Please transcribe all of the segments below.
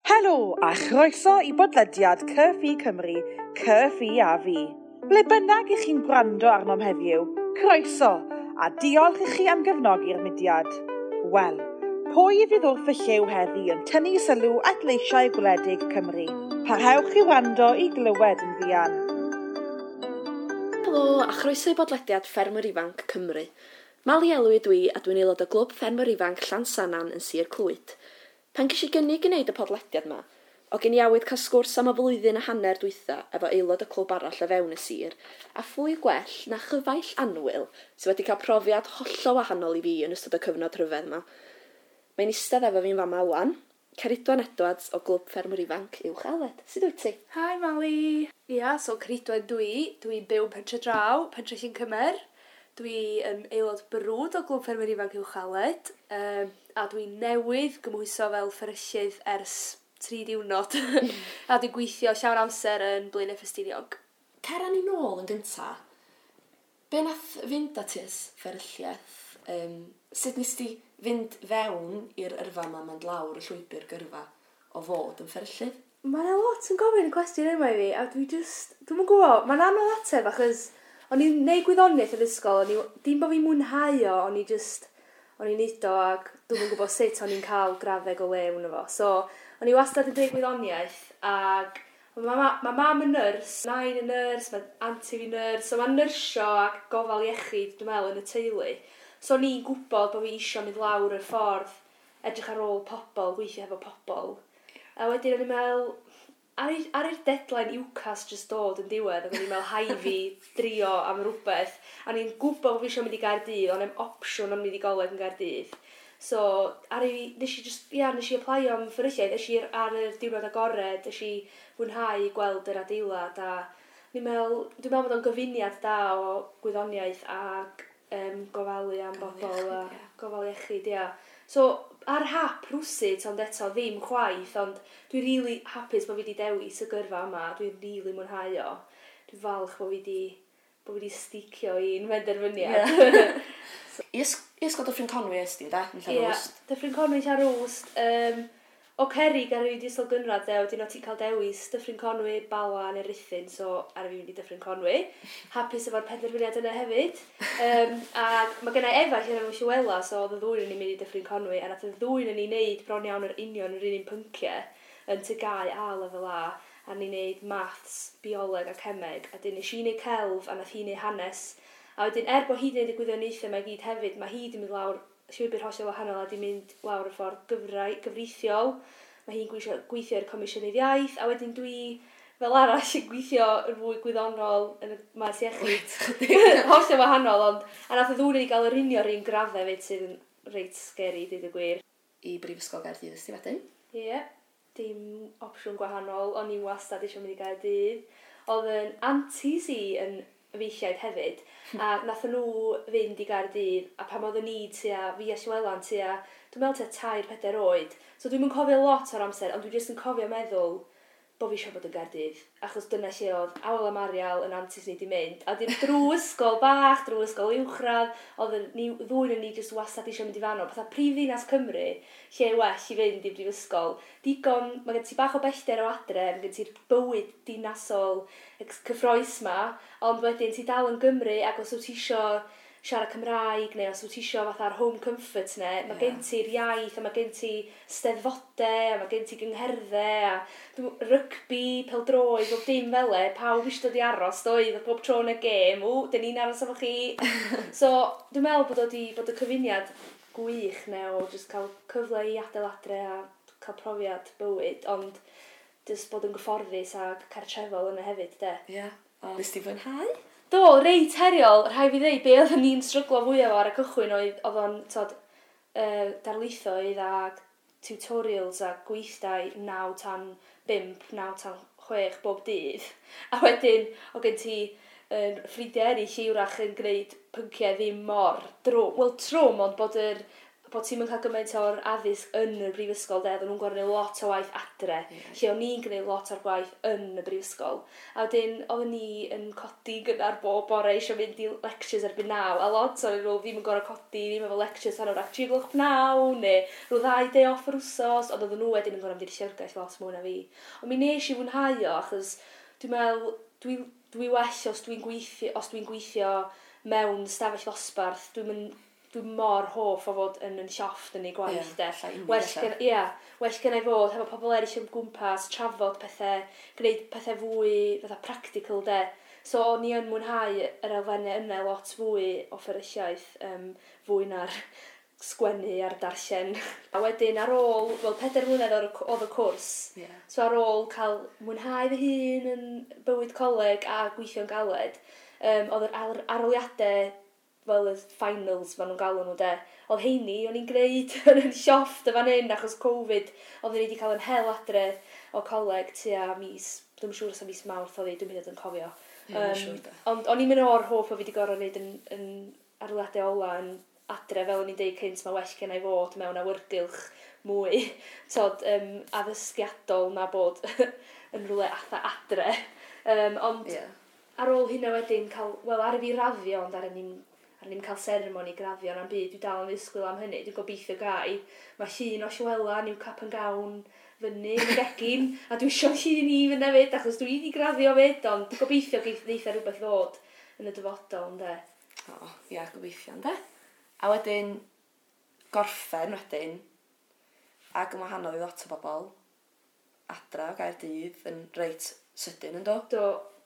Helo a chroeso i bodlediad Cyffi Cymru, Cyffi a fi. Ble bynnag i chi'n gwrando arnom heddiw, croeso a diolch i chi am gefnogi'r mudiad. Wel, pwy fydd wrth y llew heddi yn tynnu sylw at leisiau gwledig Cymru? Parhewch i wrando i glywed yn fuan. Helo a chroeso i bodlediad Ffermwyr Ifanc Cymru. Mali Elwy dwi a dwi'n aelod o Glwb Ffermwyr Ifanc Llansannan yn Sir Clwyd. Pan ges i gynnig i wneud y podlediad 'ma, o gen i awydd cael sgwrs am y flwyddyn a hanner dwytha efo aelod y clwb arall o fewn y sir, a phwy gwell na chyfaill annwyl sydd wedi cael profiad hollol wahanol i fi yn ystod y cyfnod rhyfedd 'ma. Mae'n eistedd efo fi'n fama ŵan, Ceridwen Edwards o Glwb Ffermwyr Ifanc Uwch Aled. Sut wyt ti? Hi Mali! Ia, so Ceridwen dwi, dwi'n byw yn Pentre Draw, Pentre Llyn Cymer. Dwi yn aelod brwd o Glwb Ffermwyr Ifanc Uwch Aled, a dwi newydd gymhwyso fel fferyllydd ers 3 diwrnod a dwi'n gweithio llawn amser yn Blaenau Ffestiniog. Cera ni nôl yn gynta. Be nath fynd â ti at fferylliaeth? Sut nes ti fynd fewn i'r yrfa yma, mynd lawr y llwybr gyrfa o fod yn fferyllydd? Mae yna lot yn gofyn y cwestiwn yma i fi, a dwi just, dwi'm yn gwybod, mae'n anodd ateb achos o'n i'n neud gwyddoniaeth yn ysgol, o'n i, dim bod fi'n mwynhau o, o'n i just, o'n i'n neud o ac dwi'm yn gwybod sut o'n i'n cael graddeg o lew yno fo. So, o'n i wastad yn deud gwyddoniaeth ac ma mam yn nyrs, nain yn nyrs, mae auntie fi'n nyrs, so mae'n nyrsio ac gofal iechyd, dwi'n meddwl, yn y teulu. So o'n i'n gwybod bod fi isio mynd lawr y ffordd, edrych ar ôl pobl, gweithio efo pobl. A wedyn o'n i'n meddwl, ar i'r deadline UCAS just dod yn diwedd, ac o'n i'n meddwl hai fi drio am rhywbeth. A o'n i'n gwybod bod fi eisiau mynd i Gaerdydd, o'n i'n opsiwn am mynd i goleg yn Gaerdydd. So, ar i, nes i just, ia, nes i applio am fferylliaeth, nes i ar yr diwrnod agored, nes i fwynhau gweld yr adeilad, a ni'n meddwl, dwi'n meddwl bod o'n gyfuniad da o gwyddoniaeth ac gofalu am Gofal bobl iechyd, a ia. gofal iechyd, ia. So, ar hap rwsut, ond eto ddim chwaith, ond dwi'n rili hapus bod fi wedi dewis y gyrfa yma, dwi'n rili mwynhau o. Dwi'n falch bod fi wedi sticio i'n penderfyniad. I ysgol Dyffryn Conwy es di, da? Yn Ie, Llanrwst? Dyffryn Conwy, Llanrwst. O Cerig ar i ysgol gynradd, de, wedyn o ti'n cael dewis Dyffryn Conwy, Bala neu Rhuthun, so ar i fi mynd i Dyffryn Conwy. Hapus efo'r penderfyniad yna hefyd. A mae gennai efall yn efo Llywela, so oedd y ddwy yn ni'n mynd i Dyffryn Conwy, a nath y ddwy yn ni'n neud bron iawn yr union yr un un pynciau yn TGAU a lefel A, a ni'n neud maths, bioleg a cemeg, a dyn nes i neud celf a nath hi neud hanes. A wedyn, er bod hi wedi neud y gwyddoniaethau mae gyd hefyd, mae hi wedi mynd lawr llwybr hollol wahanol a di mynd lawr y ffordd gyfreithiol. Mae hi'n gweithio i'r Comisiynydd Iaith, a wedyn dwi fel arall yn gweithio yn fwy gwyddonol yn y maes iechyd. Wyt, chydig. Hollol wahanol, ond a nath y ddwy ni gael yr union yr un graddau hefyd sydd yn reit scary, deud y gwir. I Brifysgol Gaerdydd ys ti wedyn? Ie, dim opsiwn gwahanol, o'n i wastad eisiau mynd i Gaerdydd. Oedd yn aunties i yn efeilliaid hefyd, a nath nhw fynd i Gaerdydd, a pan oedden ni tua, fi a Llywela'n tua, dwi'n meddwl tua 3-4 oed, so dwi'm yn cofio lot o'r amser, ond dwi jyst yn cofio meddwl bod fi eisiau bod yn Gaerdydd, achos dyna lle oedd Awel a Marial yn aunties ni di mynd, a dim drwy ysgol bach, drwy ysgol uwchradd, oedd ni, ddwy yn ni jyst wastad eisiau mynd i fanno, fatha prifddinas Cymru, lle well i fynd i brifysgol. Digon, mae gen ti bach o bellter o adre, mae gen ti'r bywyd dinasol cyffrous ma, ond wedyn ti dal yn Gymru, ac os wyt ti isio siarad Cymraeg, neu os wyt ti isio fatha'r home comfort ne, mae gen ti'r iaith, a mae gen ti steddfodau, a mae gen ti gyngherddau, a rygbi, pêl-droed, bob dim fel e, pawb eisiau dod i aros, doedd, a bob tro yn y gêm, ww, dyn ni'n aros efo chi. So, dwi'n meddwl bod o di, bod y cyfuniad gwych ne, o jyst cael cyfle i adael adre a cael profiad bywyd, ond jyst bod yn gyfforddus a cartrefol yna hefyd, de. Ie. A nes ti fwynhau? Do, reit heriol, rhaid fi ddeud, be oedden ni'n stryglo fwyaf ar y cychwyn oedd o'n, tod, darlithoedd a tutorials a gweithdai 9 tan 5, 9 tan 6 bob dydd. A wedyn, o gen ti ffrindiau eraill i wrach yn gwneud pynciau ddim mor drwm. Wel, trwm, ond bod yr bod ti'n cael gymaint o'r addysg yn y brifysgol, de, oedden nhw'n gorfod gwneud lot o waith adre, lle o'n i'n gwneud lot o'r gwaith yn y brifysgol. A wedyn, oedden ni yn codi gynnar bob bore eisiau mynd i lectures erbyn 9, a lot o'n nhw ddim yn gorfod codi, ddim efo lectures tan wrach 3:00 neu rhyw 2 day off yr wsos, ond oedden nhw wedyn yn gorfod mynd i'r llyfrgell lot mwy na fi. Ond mi nes i fwynhau o, achos dwi'n meddwl, dwi well os dwi'n gweithio mewn stafell ddosbarth, dwi mor hoff o fod yn llofft yn ei gwaith, de. Llai unig Well ella. Ia, well gen i fod hefo pobl eraill yn gwmpas, trafod pethau, gwneud pethau fwy fatha practical, de. So o'n i yn mwynhau yr elfennau yna lot fwy o fferylliaeth, fwy na'r sgwennu a'r darllen. A wedyn ar ôl, wel 4 mlynedd oedd y cwrs, so ar ôl cael mwynhau fy hun yn bywyd coleg a gweithio'n galed, oedd yr arholiadau fel y finals maen nhw'n galw nhw de. Oedd heini, o'n i'n gwneud yn y llofft y fan hyn achos Covid, oedden ni wedi cael yn hel adre o coleg tua mis, dwi'n siŵr os o mis Mawrth oedd hi, dwi'n mynd yn cofio. Ie, mae'n siŵr de. Ond o'n i'n mynd o'r hoff o fi wedi gorfod wneud yn arholiadau ola yn adre, fel o'n i'n deud cynt, mae well gen i fod mewn awyrgylch mwy tod, addysgiadol na bod yn rhywle atha adre. Ond ar ôl hynna wedyn, cael, wel, ar i fi raddio, ond ar ni'n cael seremoni graddio na'n byd, dwi dal yn ddisgwyl am hynny, dwi'n gobeithio gai. Mae llun o Llywela, new cap and gown, fyny yn y gegin, a dwi eisiau llun i fynd hefyd, achos dwi wedi graddio fyd, ond gobeithio geith neitha rhywbeth ddod yn y dyfodol, ynde. O, ia, gobeithio, ynde? A wedyn, gorffen wedyn, ac yn wahanol i lot o bobl, adra o Gaerdydd yn reit sydyn, yn do? Do,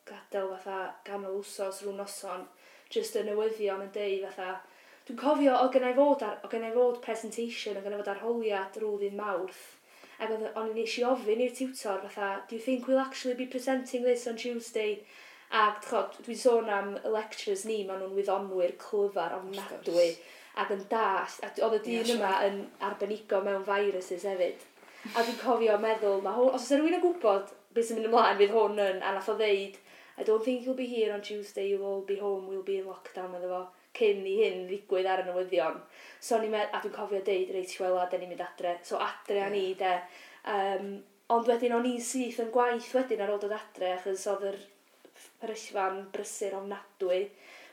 gadael fatha ganol wsos rhyw noson, just y newyddion yn deud fatha, dwi'n cofio o gennai fod presentation, o gennai fod arholiad rhyw ddydd Mawrth, ac oedd, o'n i nes i ofyn i'r tutor fatha, "Do you think we'll actually be presenting this on Tuesday?" Ac chod, dwi'n sôn am y lecturers ni, maen nhw'n wyddonwyr clyfar ofnadwy ac yn dallt, a oedd y dyn yma yn arbenigo mewn viruses hefyd. A dwi'n cofio meddwl, mae hwn, os oes rhywun yn gwybod beth sy'n mynd ymlaen, fydd hwn yn, a nath o ddeud, "I don't think you'll be here on Tuesday, you'll all be home, we'll be in lockdown," medde fo, cyn i hyn ddigwydd ar y newyddion. So o'n i'n a dwi'n cofio deud, "Reit, Llywela, da ni'n mynd adre." So adre a ni, de. Ond wedyn o'n i'n syth yn gwaith wedyn ar ôl dod adre, achos oedd yr fferyllfa'n brysur ofnadwy,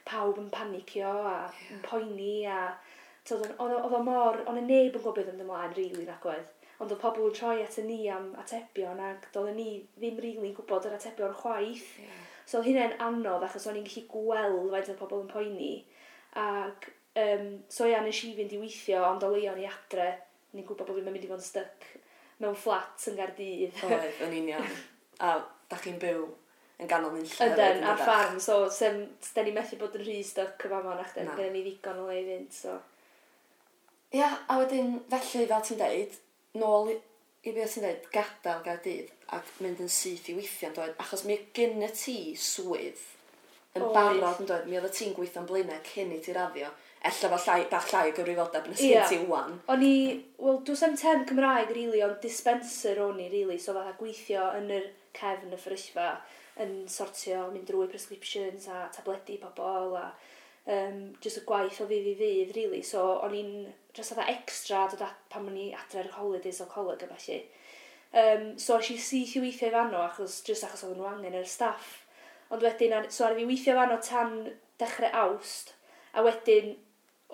pawb yn panicio a yn poeni a t'od, oedd o mor, oedd y neb yn gwybod beth yn mynd ymlaen rili nag oedd. Ond oedd pobl yn troi at y ni am atebion ac doedden ni ddim rili'n gwybod yr atebion chwaith. So oedd hynny'n anodd achos o'n i'n gallu gweld faint oedd pobl yn poeni. Ac so ia, nes i fynd i weithio, ond o leia o'n i adre. O'n i'n gwybod bod fi'n mynd i fod yn stuck mewn fflat yn Gaerdydd. Oedd, yn union. A da chi'n byw yn ganol nunlle. Yden, ar ffarm, so sem, da ni methu bod yn rhy stuck y fama nach den, Na. gyda ni ddigon o le i fynd, so. Ia, a wedyn, felly, fel ti'n deud, nôl i beth ti'n deud, gadael Gaerdydd ac mynd yn syth i weithio, yn dod, achos mi gyn y ti swydd yn Oedd. barod yn dod, mi oedd ti'n gweithio'n Blaenau cyn i ti raddio, ella fo llai, bach llai o gyfrifoldeb na sgyn ti wan. O'n i, wel, does 'am term Cymraeg, really, ond dispenser o'n i, really, so fatha gweithio yn yr cefn y fferyllfa, yn sortio, mynd drwy prescriptions a tabledi pobl, a just y gwaith o ddydd i ddydd, really. So, o'n i'n just fatha extra dod at, pan o'n i adre ar holidays o coleg a felly. So, es i syth i weithio i fanno, achos, just achos oedden nhw angen yr staff. Ond wedyn, so ar i fi weithio fanno tan dechrau Awst, a wedyn,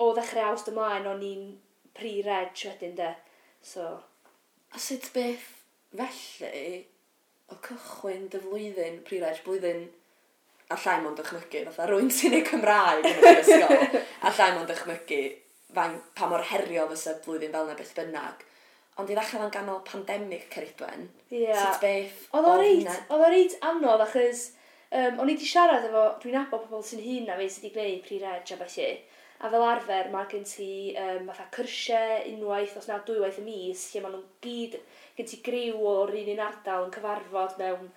o ddechrau Awst ymlaen, o'n i'n pre-reg wedyn de. So, A sut beth felly o cychwyn dy flwyddyn, pre-reg, blwyddyn a llai mond dychmygu, fatha rwy'n sy'n ei Cymraeg yn y brifysgol, a llai mond dychmygu fain, pa mor heriol fysa blwyddyn fel yna beth bynnag. Ond i ddechrau fan ganol pandemig Ceridwen, sut beth Oedd o reit, hynna? oedd o reit anodd achos o'n i wedi siarad efo, dwi'n nabod pobl sy'n hŷn na fi sydd wedi gwneud pre-reg a felly. A fel arfer mae gen ti fatha cyrsiau unwaith, os na dwywaith y mis, lle maen nhw'n gyd, gen ti griw o'r un un ardal yn cyfarfod mewn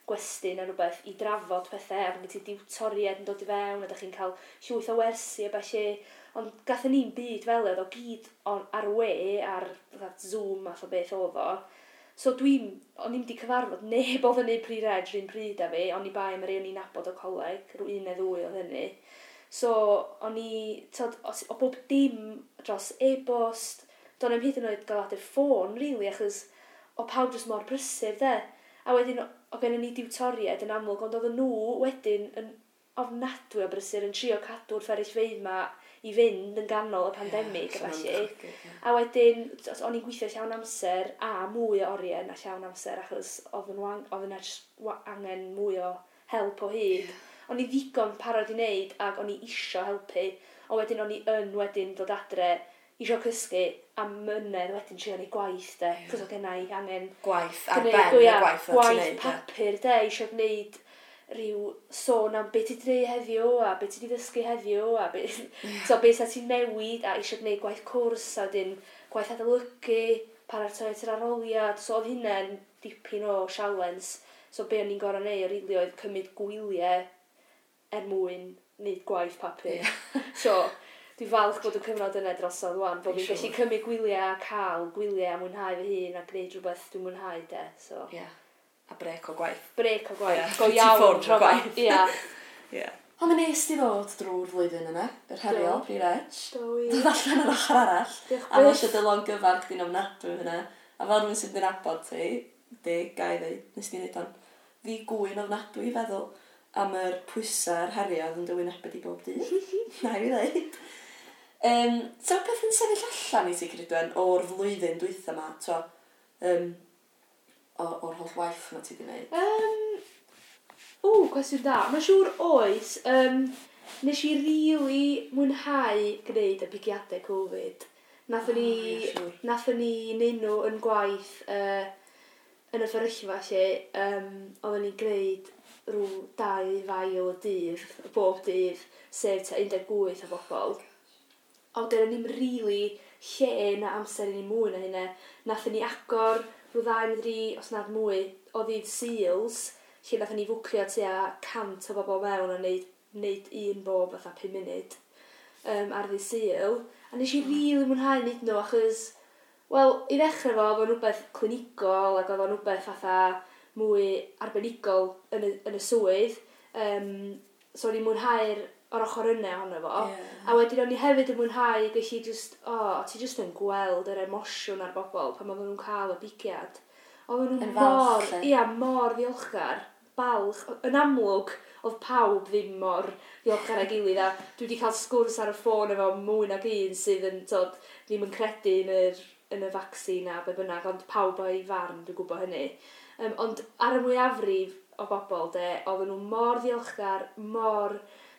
gwesty neu rhywbeth i drafod pethau, a mae gen ti diwtoriaid yn dod i fewn, a da chi'n cael llwyth o wersi a felly. Ond gathon ni'n byd fel oedd o gyd on, ar y we, ar fatha Zoom math o beth oedd o. So o'n i'm di cyfarfod neb oedd yn neud pre-reg rhywun pryd â fi, o'n i bai am yr un o'n i'n nabod o coleg, rhyw un neu ddwy oedd hynny. So, o'n i, tod, o bob dim dros e-bost, do'n i'm hyd yn oed gael adur ffôn, really, achos o pawb jyst mor brysur, de. A wedyn, o gennym ni diwtoriaid yn amlwg, ond oedden nhw wedyn yn ofnadwy o brysur yn trio cadw'r fferyllfeydd ma i fynd yn ganol y pandemig, yeah, felly. Yeah. A wedyn, o'n i'n gweithio llawn amser a mwy o oriau na llawn amser, achos oedd yna angen mwy o help o hyd. Yeah. O'n i ddigon parod i wneud ac o'n i isio helpu, ond wedyn o'n i yn wedyn dod adre isio cysgu a mynedd wedyn trio neud gwaith de, yeah. Cos oedd genna i angen gwaith ar ben y gwaith gwaith papur de, isio gwneud rhyw sôn am beth ti wedi gwneud heddiw a beth ti wedi ddysgu heddiw a be, yeah. So beth sa ti'n newid a eisiau gwneud gwaith cwrs a wedyn gwaith adolygu, paratoi at yr arholiad. So oedd hynna'n dipyn o sialens. So be o'n i'n gorau neud rili oedd cymryd gwyliau er mwyn wneud gwaith papur. Yeah. So dwi'n falch bod y cyfnod yna drosodd wan, bod fi'n gallu cymryd gwyliau a cael gwyliau a mwynhau fy hun a gwneud rhywbeth dwi'n mwynhau de. So. Yeah. A brec o gwaith. Brec o gwaith. Yeah. Go iawn. Ti o gwaith. Ia. Yeah. Ond mi nes di ddod drwy'r flwyddyn yna, yr heriol, Pre Reg. Do. Dod allan ar ochr arall. Diolch. A mae eisiau dy longyfarch di'n ofnadwy hynna. A fel rhywun sydd yn nabod ti, di, gai ddeud, nes di wneud o'n ddi-gwyn ofnadwy i feddwl am yr pwysau a'r heriau oedd yn dy wynebu di bob dydd. Na i fi ddeud. So beth yn sefyll allan i ti, Ceridwen, o'r flwyddyn dwytha yma, to, o'r holl waith yma ti wedi gwneud? Cwestiwn da. Mae'n siŵr oes. Nes i rili mwynhau gwneud y pigiadau Covid. Nathon ni neud nhw yn gwaith yn y fferyllfa lle. Oedden ni'n gwneud rhyw 2 fail y dydd, bob dydd, sef tua 18 o bobl. A wedyn o'n i'n rili lle na amser i ni mwy na hynna. Nathon ni agor rhyw 2 neu 3, os nad mwy, o ddydd Sils, lle nathon ni fwcio tua 100 o bobl mewn a neud un bob fatha 5 munud ar ddydd Sul. A nes i rili mwynhau neud nhw, achos, wel, i ddechrau fo, oedd o'n rhywbeth clinigol ac oedd o'n rhywbeth fatha mwy arbenigol yn y swydd. So o'n i'n mwynhau'r o'r ochr yna ohono fo. Yeah. A wedyn o'n i hefyd yn mwynhau gallu just, ti just yn gweld yr emosiwn ar bobl pan oedden nhw'n cael y bigiad. Oedden nhw mor, ia, mor ddiolchgar, balch. Yn amlwg, oedd pawb ddim mor ddiolchgar ag gilydd, a dwi wedi cael sgwrs ar y ffôn efo mwy nag un sydd yn, tod, ddim yn credu yn y vaccine a be bynnag, ond pawb o'i farn, dwi'n gwybod hynny. Ond ar y mwyafrif o bobl, de, oedden nhw mor ddiolchgar, mor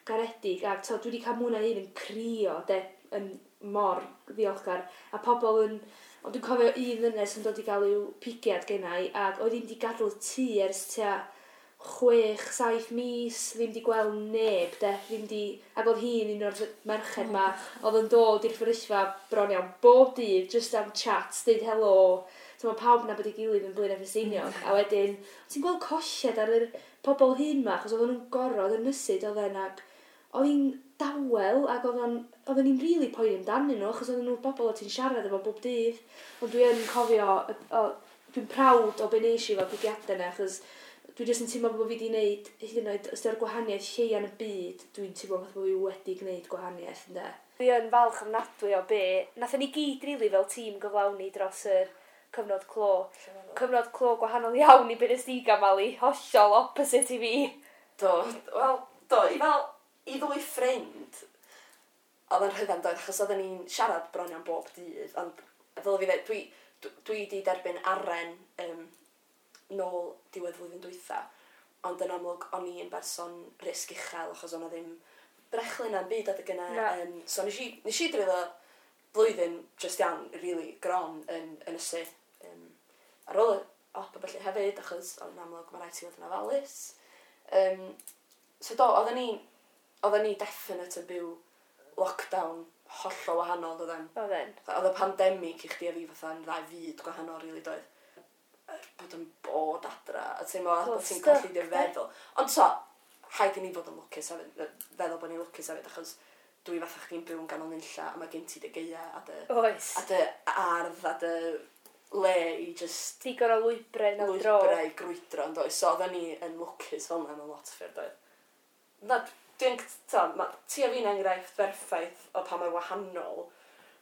garedig, a to, dwi wedi cael mwy na un yn crio, de, yn mor ddiolchgar, a pobl yn, ond dwi'n cofio un ddynes yn dod i gael i'w pigiad gennau, ac oedd hi'n di gadael y tŷ ers tua 6-7 mis, ddim di gweld neb, de, ddim di, ac oedd hi'n un o'r merched ma, oedd yn dod i'r fferyllfa bron iawn bob dydd, just am chat, deud helo, so mae pawb yn nabod ei gilydd yn Blaenau Ffestiniog, a wedyn, ti'n gweld colled ar yr pobl hyn ma, achos oedden nhw'n gorfod ynysu, oedden, ac oedd hi'n dawel, ac oedden ni'n rili poeni amdanyn nhw, achos oedden nhw'n bobl o ti'n siarad efo bob dydd. Ond dwi yn cofio, dwi'n proud o be nes i efo pigiadau yna, achos dwi jyst yn teimlo bod fi wedi gwneud, hyd yn oed, os ydy'r gwahaniaeth lleia yn y byd, dwi'n teimlo fatha bod fi wedi gwneud gwahaniaeth, ynde. Dwi yn falch ofnadwy o be, nathon ni gyd rili fel tîm gyflawni dros yr cyfnod clo. Cyfnod clo gwahanol iawn i be nes di gael, Mali, hollol opposite i fi. Do, wel, do, i fel, i ddwy ffrind, oedd yn rhyfedd doedd, achos oedden ni'n siarad bron iawn bob dydd, ond fel fi dweud, dwi wedi derbyn aren nôl diwedd flwyddyn dwytha, ond yn amlwg o'n i yn berson risg uchel, achos o'na ddim brechlyn na'n byd adeg yna. So nes i dreulio blwyddyn just iawn, really gron yn ynysu. Ar ôl y op a felly hefyd, achos yn amlwg mae rhaid ti fod yn ofalus. So do, oedden ni definite yn byw lockdown hollol wahanol, doedden. Oedden. Oedd y pandemig i chdi a fi fatha yn ddau fyd gwahanol, really, doedd. Bod yn bod adra, a ti'n meddwl bod ti'n colli dy feddwl. Ond so, rhaid i ni fod yn lwcus hefyd, feddwl bod ni'n lwcus hefyd, achos dwi fatha chdi'n byw yn ganol nunlla, a mae gen ti dy gaea a dy, oes. A dy ardd a dy le i just... Digon o lwybrau na dro. Lwybrau i grwydro, yn doedd. So oedden ni yn lwcus fel yna mewn lot o ffyrdd, doedd. Na, Dwi'n, ta, ma, ti a fi'n enghraifft berffaith o pa mor wahanol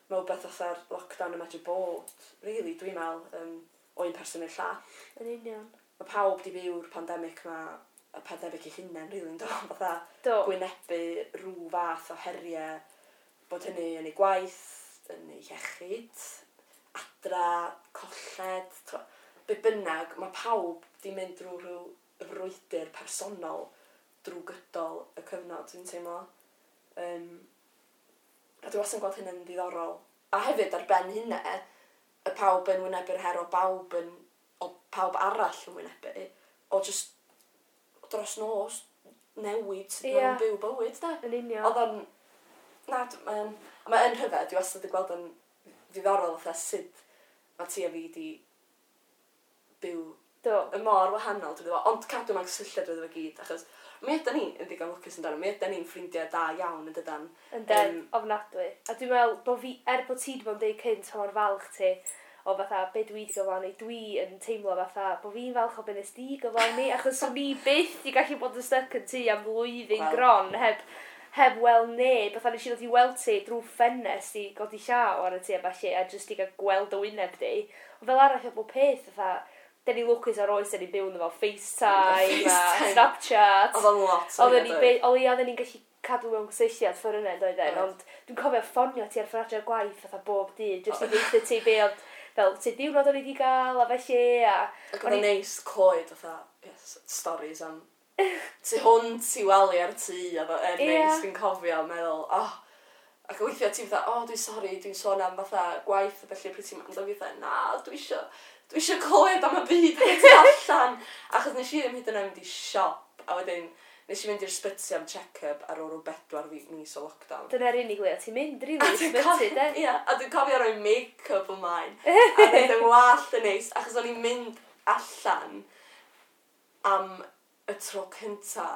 mae wbeth fatha'r lockdown yn medru bod, really, dwi'n meddwl, o un person i'r llall. Yn union. Mae pawb di byw'r pandemig ma, y pandemig ei hunain, really, yn do? Fatha gwynebu rhyw fath o heriau, bod hynny yn ei gwaith, yn ei iechyd, adra, colled, be bynnag, mae pawb di mynd drwy rhyw frwydr personol drwy gydol y cyfnod, dwi'n teimlo. A dwi wastad yn gweld hynny'n ddiddorol. A hefyd ar ben hynna, y pawb yn wynebu'r her o bawb yn, o pawb arall yn wynebu, o just dros nos newid sut maen nhw'n byw bywyd, de. Yn union. Oedd o'n... Na, mae'n rhyfedd, dwi wastad yn gweld yn ddiddorol fatha sut mae ti a fi di byw y mor wahanol, dwi'n meddwl. Ond cadw mewn cysylltiad drwyddo fo gyd, achos mi ydan ni yn ddigon lwcus yn dan, mi ydan ni'n ffrindiau da iawn yn dydan. Ynden, ofnadwy. A dwi'n meddwl bod fi, er bod ti wedi bod yn deud cynt pa mor falch ti o fatha be dwi wedi gyflawni, dwi yn teimlo fatha bod fi'n falch o be nes di gyflawni, achos swn i byth di gallu bod yn stuck yn tŷ am flwyddyn gron heb weld neb, fatha nes i ddod i weld ti drwy ffenest i godi llaw ar y tŷ a ballu, a jyst i gael gweld y wyneb di. Ond fel arall o bob peth, fatha, den ni lwcus ar oes, den ni'n byw ynddo fo FaceTime a Snapchat. Oedd o'n lot o hynna, doedd. O leia oedden ni'n gallu cadw mewn cysylltiad ffordd yna, doedden, ond dwi'n cofio ffonio ti ar ffordd adre'r gwaith fatha bob dydd, jyst i ddeutha ti be oedd, fel, sut diwrnod o'n i wedi gael, a felly, a... Ac oedd o'n neis clywed fatha, yes, stories am tu hwnt i wely ar tŷ, oedd o'n neis, dwi'n cofio, meddwl, oh, ac weithiau ti fatha, oh, dwi'n sori, dwi'n sôn am fatha gwaith a felly, pryd ti'n mynd, ond fi fatha, na, dwi isio clywed am y byd tu allan, achos nes i ddim hyd yn oed mynd i siop, a wedyn nes i fynd i'r sbyty am check-up ar ôl rhyw 4 mis o lockdown. Dyna'r unig le o ti'n mynd, rili, i'r sbyty, de? Ie, a dwi'n cofio rhoi make-up ymlaen, a rhaid yng ngwallt yn neis, achos o'n i'n mynd allan am y tro cynta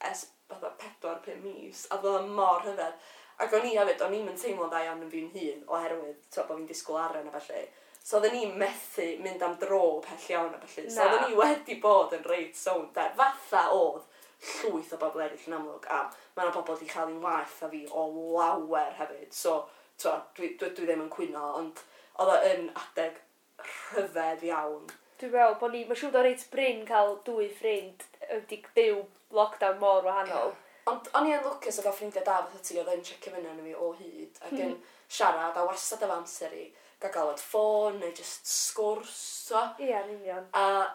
ers fatha 4-5 mis, a oedd o'n mor rhyfedd. Ac o'n i hefyd, o'n i'm yn teimlo'n dda iawn yn fi'n hun, oherwydd, t'wo, bod fi'n disgwyl aren a felly. So oedden ni'n methu mynd am dro pell iawn a felly. So oedden ni wedi bod yn reit sownd de. Fatha oedd llwyth o bobl eraill yn amlwg, a mae yna bobl wedi cael un waeth a fi o lawer hefyd. So, t'wo, dwi ddim yn cwyno, ond oedd o yn adeg rhyfedd iawn. Dwi'n meddwl bod ni, mae'n siŵr bod reit brin cael dwy ffrind wedi byw lockdown mor wahanol. Ond o'n i yn lwcus o gael ffrindiau da fatha ti, oedd yn checio fyny arno fi o hyd, ac yn siarad a wastad efo amser i gael galwad ffôn neu just sgwrs, so. Ie, yn union. A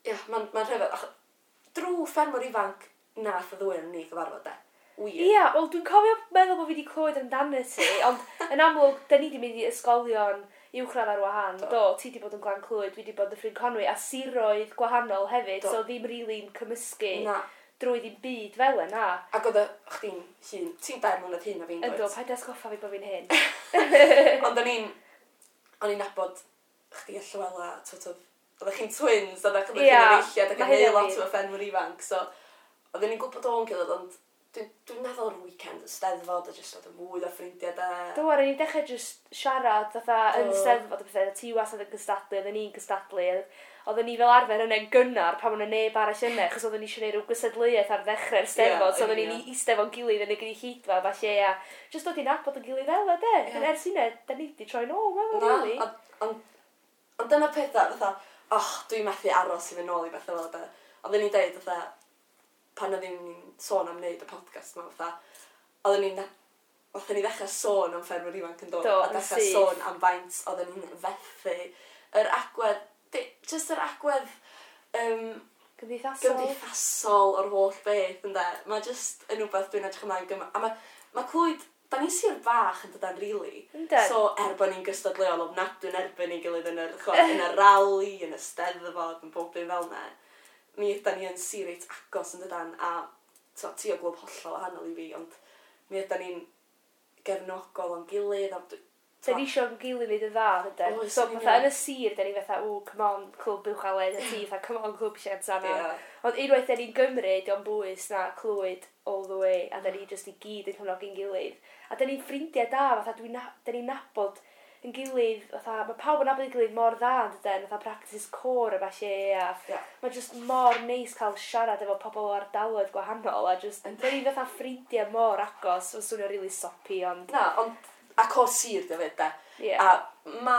ie, mae'n rhyfedd. Drwy ffermwr ifanc nath y ddwy yn ni gyfarfod, de. Wir. Ie, wel dwi'n cofio meddwl bod fi wedi clywed amdano ti, ond yn amlwg, da ni wedi mynd i ysgolion uwchradd ar wahân. Do, ti wedi bod yn Glan Clwyd, dwi wedi bod yn Dyffryn Conwy, a siroedd gwahanol hefyd, so ddim rili'n cymysgu. Na. Drwy ddim byd fel yna. Ac oedd chdi'n hŷn, ti'n 4 mlynedd hŷn na fi'n dweud. Yndw, paid atgoffa fi bod fi'n hŷn. Ond o'n i'n nabod chdi a Llywela, sort of, oeddech chi'n twins, oeddech chi'n efeilliad ac yn neud lot o ffermwyr ifanc, so oedden ni'n gwybod o'n gilydd, ond dwi'n meddwl yr weekend y Steddfod a jyst oedd yn fwy o ffrindiau da. Do, ar ni'n dechrau jyst siarad fatha yn Steddfod a pethau, ti wastad yn gystadlu, oedden ni'n gystadlu, oedden ni fel arfer yna'n gynnar pan o'n neb arall yna, achos oedden ni eisiau gwneud rhyw gystadleuaeth ar ddechrau'r Steddfod, so oedden ni'n eistedd fo'n gilydd yn y gynulleidfa, falle, a jyst dod i nabod yn gilydd fel de. Yeah. Ers hynna, da ni wedi troi nôl, meddwl, really. Ond dyna pethau, fatha, oh, dwi'n methu aros i fynd nôl i bethau fel de. Oedden ni'n deud, fatha, pan oedden ni'n sôn am wneud y podcast yma, fatha, oedden ni'n fatha ni ddechrau sôn am ffermwyr ifanc yn dod, a dechrau sôn am faint oedden ni'n fethu. Yr agwedd, just yr agwedd gymdeithasol o'r holl beth, ynde. Mae just yn rhywbeth dwi'n edrych ymlaen gymaint. A mae Clwyd, da ni'n sir bach yn dydan, really. Yndyn. So, er bod ni'n gystadleuol ofnadwy yn erbyn ein gilydd yn yr, yn y rali, yn y Steddfod, yn bob dim fel 'na. Mi ydan ni yn sir reit agos yn dydan, a so, ti o glwb hollol wahanol i fi, ond mi ydan ni'n gefnogol o'n gilydd. A Da ni eisiau'n gilydd wneud yn dda, yndyn. So, fatha, yn y sir, da ni fatha, ww, come on, clwb Uwchaled, a ti, fatha, come on, clwb Llansannan. Yeah. Ond unwaith da ni'n Gymru, dio'n bwys na Clwyd all the way, a da ni just i gyd yn cefnogi'n gilydd. A da ni'n ffrindiau da, fatha, da ni'n nabod yn gilydd, fatha, mae pawb yn nabod ei gilydd mor dda yn dydyn, fatha practice côr a falle, a yeah. Mae just mor neis cael siarad efo pobl o ardaloedd gwahanol, a just, dyn ni fatha ffrindiau mor agos, mae'n swnio really soppy, ond... Na, ond, a côr sir dy fyd, de. Yeah. A ma,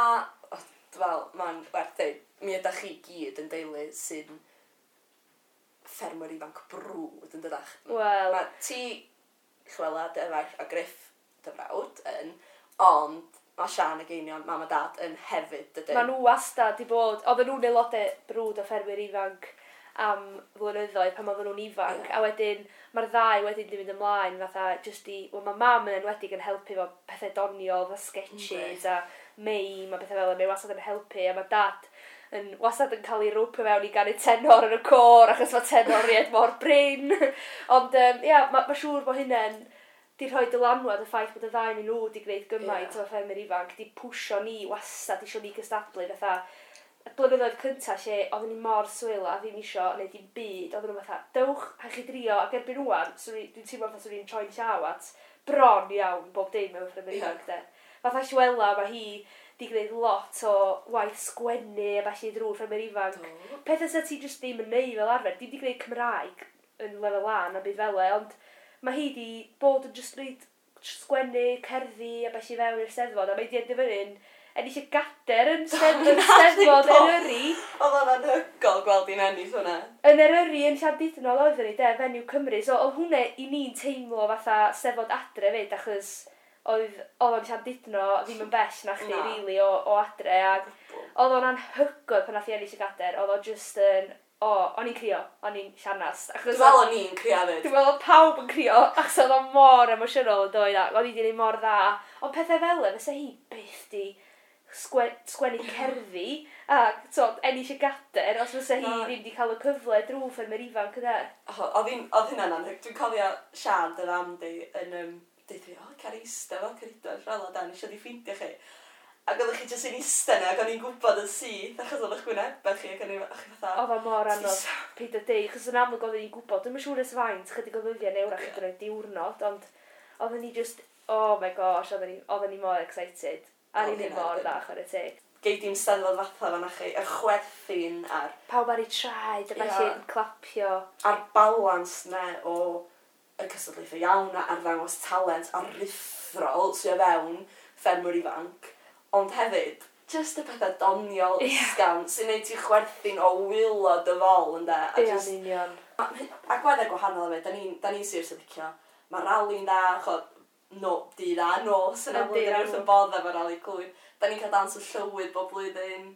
fel, mae'n werth dweud, mi ydych chi gyd yn deulu sy'n ffermwyr ifanc brwd yn dydach. Wel... Mae ti, Llywela, dy efaill, a Griff, dy frawd, yn, ond mae Sian ac Einion, mam a dad, yn hefyd, dydyn. Maen nhw wastad di bod, oedden nhw'n aelodau brwd o ffermwyr ifanc am flynyddoedd pan oedden nhw'n ifanc, Yeah. A wedyn mae'r ddau wedyn di mynd ymlaen fatha just i, wel mae mam yn enwedig yn helpu efo pethau doniol, fatha sketches a meim a pethau fel yna, mae wastad yn helpu, a mae dad yn wastad yn cael ei rwpio mewn i ganu tenor yn y côr achos mae tenoriaid mor brin. Ond ia, ma siŵr bod hynny'n di rhoi dylanwad y ffaith bod y ddau yn nhw di gwneud gymaint o ffermwyr ifanc, di pwsio ni wastad isio ni gystadlu fatha y blynyddoedd cynta lle oedden ni mor swil a ddim isio neud dim byd, oedden nhw fatha, dewch a chi drio, ac erbyn rŵan, dwi'n teimlo fatha swn i'n troi'n llaw at bron iawn bob dim mewn ffermwyr ifanc de. Fatha Llywela, mae hi di gwneud lot o waith sgwennu a falle drwy ffermwyr ifanc. Pethau sa ti jyst ddim yn neud fel arfer, dim di gwneud Cymraeg yn lefel A na byd fel e, ond mae hi di bod yn jyst gwneud sgwennu, cerddi a falle fewn i'r Steddfod, a mae di enderfynu'n ennill y gader yn Steddfod Eryri. Oedd o'n anhygoel gweld hi'n ennill hwnna. Yn Eryri yn Llandudno oedden ni, de, Fenyw Cymru. So oedd hwnna i ni'n teimlo fatha Steddfod adre fyd, achos oedd o'n Llandudno ddim yn bell na chdi, really, o adre. Ac oedd o'n anhygoel pan nath hi ennill y gader, oedd o just yn... O, o'n i'n crio, o'n i'n llanast. Dwi'n meddwl o'n i'n crio hefyd. Dwi'n meddwl pawb yn crio, achos oedd o mor emosiynol yn dod, ac o'n i wedi gwneud mor dda. Ond pethau fel e, fysa hi byth di sgwennu cerddi a so, ennill y gader, os fysa hi ddim di cael y cyfle drwy ffermwyr ifanc yna. Oedd hynna'n anhygoel. Dwi'n cofio Sian, dy fam di, yn deud fi, o, cer eista fel Ceridwen, Llywela, dan, eisiau di ffeindio chi. Ac oeddech chi jyst yn eistedd yna, ac o'n i'n gwybod yn syth, achos oedd eich gwynebau chi, ac o'n i'n fatha... Oedd o mor anodd, peidio deud, achos yn amlwg oedden ni'n gwybod, dwi'm yn siŵr ers faint, chydig o ddyddiau neu wrach hyd yn oed diwrnod, ond oedden ni just, oh my gosh, oedden ni mor excited. A ni'n neud mor dda, chwarae teg. Gei di'n Steddfod fatha fan chi, y chwerthin a'r... Pawb ar ei traed, a falle yn clapio. A'r balans na o y cystadlaethau iawn, a'r ddangos talent, a'r ruthrol sydd o fewn ffermwyr ifanc. Ond hefyd, just y pethau doniol ysgafn sy'n neud ti chwerthin o waelod dy fol, ynde? Ie, yn union. A gweddau gwahanol hefyd, da ni'n sir sy'n licio. Mae rali'n dda, chod, no, dydd a nos yn amlwg, da ni wrth yn bodd efo rali Clwyd. Da ni'n cael dawns y llywydd bob blwyddyn.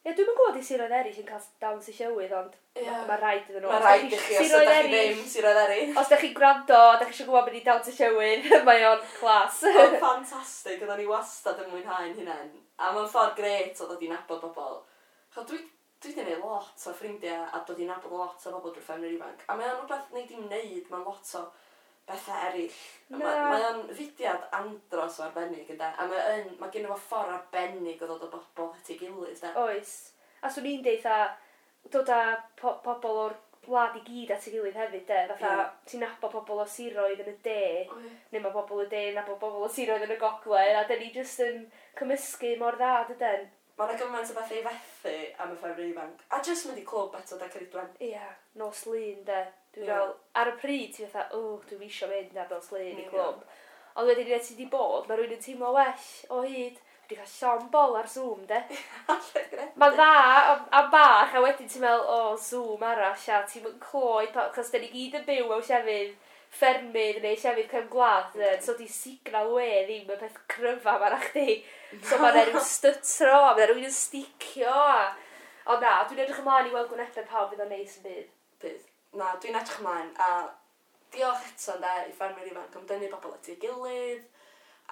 Ie, dwi'm yn gwybod i siroedd eraill yn cael dawns y llywydd, ond mae rhaid iddyn nhw. Mae rhaid i chi, os ydych chi ddim siroedd eraill. Os ydych chi'n gwrando, ydych chi eisiau gwybod beth i dawns y llywydd, mae o'n class. Mae'n ffantastig, oedden ni wastad yn mwynhau'n hunain. A mae'n ffordd grêt o ddod i nabod bobl. Chod, dwi wedi gwneud lot o ffrindiau a dod i nabod lot o bobl drwy ffermwyr ifanc. A mae o'n rhywbeth nei di'm wneud, mae'n lot o bethau eraill. Mae o'n fudiad andros o arbennig, ynde? A mae gen i fo ffordd arbennig o ddod o bobl at ei gilydd, de? Oes. A swn i'n deud, dod â pobl o'r wlad i gyd at ei gilydd hefyd, de? Fatha, ti'n nabod pobl o siroedd yn y de, neu mae pobl y de yn nabod pobl o siroedd yn y gogledd, a dyn ni jyst yn cymysgu mor dda, dydyn? Mae yna gymaint o bethau i fethu am y ffermwyr ifanc. A jyst mynd i clwb eto, de, Ceridwen. Ia, nos Lun, de. Dwi'n fel, ar y pryd, ti'n fatha, o, dwi'n isio mynd ar nos Lun i clwb. Ond wedyn, ti di bod, mae rhywun yn teimlo well o hyd. Dwi wedi cael llond bol ar Zoom, de. Mae'n dda am bach, a wedyn ti'n meddwl, o, Zoom arall, a ti'n mynd cloi, achos da ni gyd yn byw mewn llefydd ffermydd neu llefydd cefn gwlad, so di signal we ddim y peth cryfa ma na chdi. So mae'n rhyw stytro, a mae'n rhywun yn sticio, a... Ond na, dwi'n edrych ymlaen i weld gwynebau pawb fydd o'n neis yn bydd. Bydd. Na, dwi'n edrych ymlaen, a diolch eto ynde i ffermwyr ifanc am dynnu bobl at ei gilydd,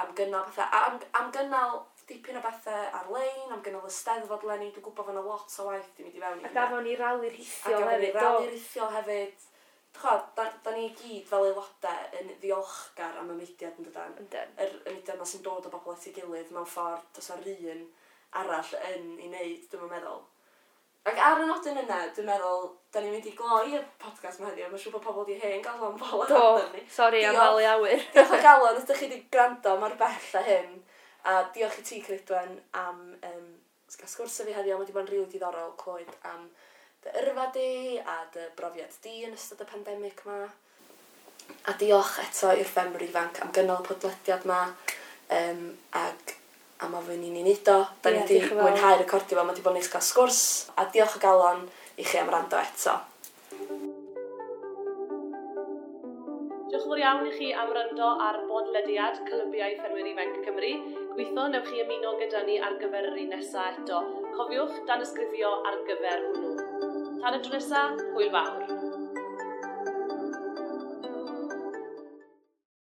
am gynnal pethau, am gynnal dipyn o bethau ar-lein, am gynnal y Steddfod leni, dwi'n gwybod fod yna lot o waith di mynd i fewn i hynna. A gafon ni rali rhithiol hefyd. A gafon ni rali rhithiol hefyd. Da ni gyd fel aelodau yn ddiolchgar am y mudiad yn dydan. Yndyn. Y mudiad yma sy'n dod o bobl at ei gilydd mewn ffordd does 'na un arall yn ei wneud, dwi'n meddwl. Ac ar y nodyn yna, dwi'n meddwl, da ni'n mynd i gloi y podcast yma heddiw, mae'n siŵr bod pobl wedi hen gael o'n bol Do, sori am falu awyr. Diolch o galon, os ydych chi wedi gwrando mor bell a hyn. A diolch i ti, Ceridwen, am gael sgwrs efo fi heddiw. Mae wedi bod yn rili diddorol clywed am dy yrfa di a dy brofiad di yn ystod y pandemig ma. A diolch eto i'r ffermwyr ifanc am gynnal y podlediad ma ag am ofyn i ni wneud o. Da ni wedi mwynhau recordio fo, mae wedi bod yn neis cael sgwrs. A diolch o galon i chi am wrando eto. Diolch yn fawr iawn i chi am wrando ar bodlediad Clybiau Ffermwyr Ifanc Cymru. Gobeithio newch chi ymuno gyda ni ar gyfer yr un nesaf eto. Cofiwch danysgrifio ar gyfer hwnnw. Tan y tro nesaf, hwyl fawr.